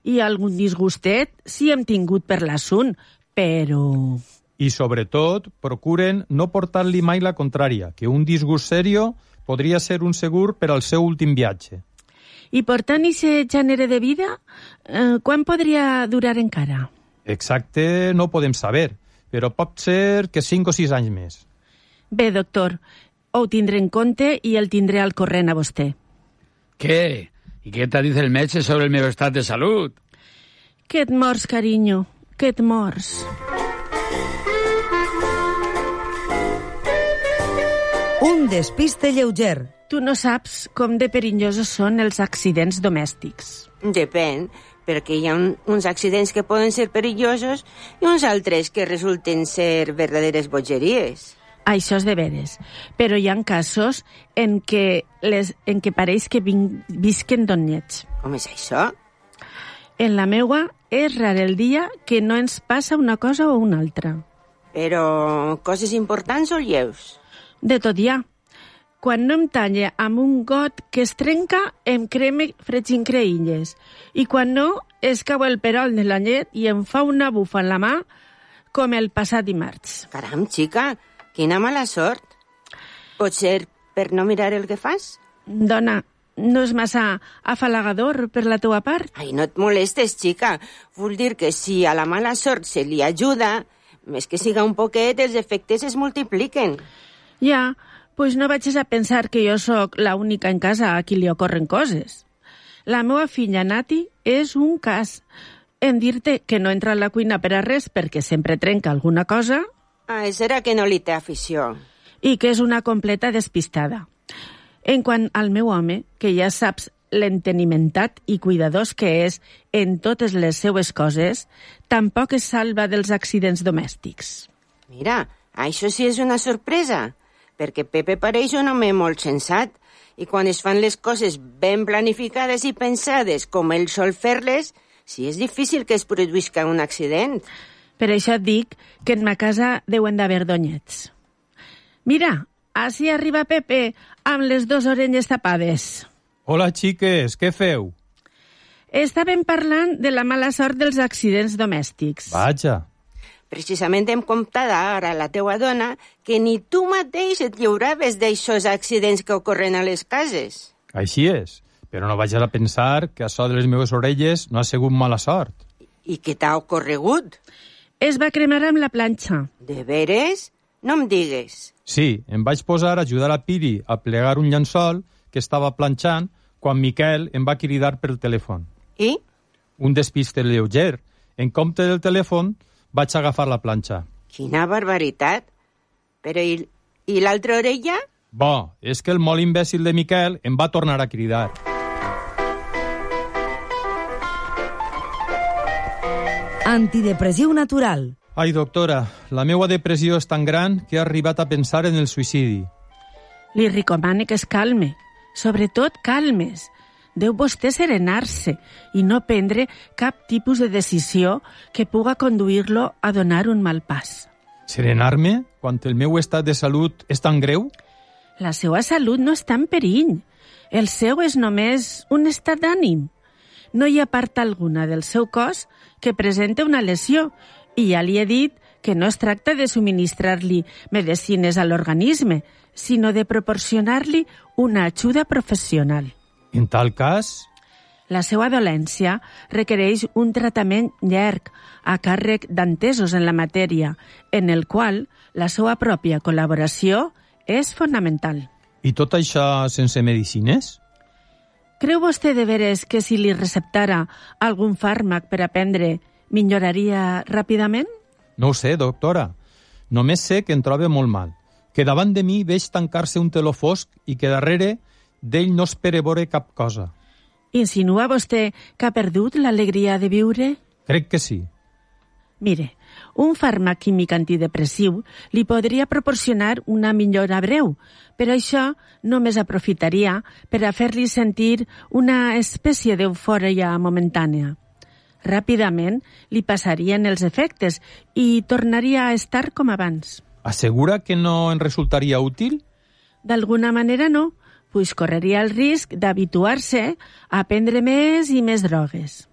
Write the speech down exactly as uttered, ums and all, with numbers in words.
i algun disgustet si hem tingut per l'assunt, però... I, sobretot, procuren no portar-li mai la contrària, que un disgust serio podria ser un segur per al seu últim viatge. I portant aquest gènere de vida, eh, quan podria durar encara? Exacte no podem saber, però pot ser que cinc o sis anys més. Bé, doctor, ho tindré en compte i el tindré al corrent a vostè. ¿Qué? ¿Y qué te dice el metge sobre el meu estat de salut? Que et mors, carinyo, que et mors. Un despiste lleuger. Tu no saps com de perillosos són els accidents domèstics. Depèn, perquè hi ha un, uns accidents que poden ser perillosos i uns altres que resulten ser verdaderes bogeries. Això és de veres, però hi ha casos en què, les, en què pareix que vin, visquen donyets. Com és això? En la meua és rar el dia que no ens passa una cosa o una altra. Però coses importants o lleus? De tot hi ha. Quan no em talla amb un got que es trenca, em creme fregincreïlles. I quan no, es cau el perol de la llet i em fa una bufa en la mà com el passat dimarts. Caram, xica, quina mala sort. Pot ser per no mirar el que fas? Dona, no és massa afalagador per la teua part? Ai, no et molestes, xica. Vull dir que si a la mala sort se li ajuda, més que siga un poquet, els efectes es multipliquen. Ja, pues no vagis a pensar que jo sóc la única en casa a qui li ocorren coses. La meva filla Nati és un cas. En dir-te que no entra a la cuina per a res perquè sempre trenca alguna cosa... Ah, serà que no li té afició. I que és una completa despistada. En quant al meu home, que ja saps l'entenimentat i cuidadós que és en totes les seues coses, tampoc es salva dels accidents domèstics. Mira, això sí és una sorpresa, perquè Pepe pareix un home molt sensat i quan es fan les coses ben planificades i pensades com ell sol fer-les, sí és difícil que es produïsca un accident. Per això et dic que en ma casa deuen d'haver donyets. Mira, així arriba Pepe amb les dues orelles tapades. Hola, xiques, què feu? Estàvem parlant de la mala sort dels accidents domèstics. Vaja. Precisament hem comptat ara la teua dona que ni tu mateix et lliuraves d'aixòs accidents que ocorren a les cases. Així és, però no vagis a pensar que això de les meves orelles no ha sigut mala sort. I què t'ha ocorregut? Es va cremar amb la planxa. De veres? No em digues. Sí, em vaig posar a ajudar a Piri a plegar un llençol que estava planxant quan Miquel em va cridar pel telèfon. I? Un despiste lleuger. En compte del telèfon, vaig agafar la planxa. Quina barbaritat. Però i, i l'altra orella? Bo, és que el molt imbècil de Miquel em va tornar a cridar. Antidepressiu natural. Ai, doctora, la meua depressió és tan gran que he arribat a pensar en el suïcidi. Li recomane que es calme. Sobretot, calmes. Deu vostè serenar-se i no prendre cap tipus de decisió que puga conduir-lo a donar un mal pas. Serenar-me quan el meu estat de salut és tan greu? La seva salut no està en perill. El seu és només un estat d'ànim. No hi ha part alguna del seu cos que presenta una lesió i ja li he dit que no es tracta de subministrar-li medicines a l'organisme, sinó de proporcionar-li una ajuda professional. En tal cas... La seva dolència requereix un tractament llarg a càrrec d'entesos en la matèria, en el qual la seva pròpia col·laboració és fonamental. I tot això sense medicines? Creu vostè de veres que si li receptara algun fàrmac per a prendre milloraria ràpidament? No ho sé, doctora. Només sé que em trobo molt mal. Que davant de mi veig tancar-se un teló fosc i que darrere d'ell no espere veure cap cosa. Insinua vostè que ha perdut l'alegria de viure? Crec que sí. Mire, un fàrmac químic antidepressiu li podria proporcionar una millora breu, però això només aprofitaria per a fer-li sentir una espècie d'eufòria momentània. Ràpidament li passarien els efectes i tornaria a estar com abans. Assegura que no en resultaria útil? D'alguna manera no, pues correria el risc d'habituar-se a prendre més i més drogues.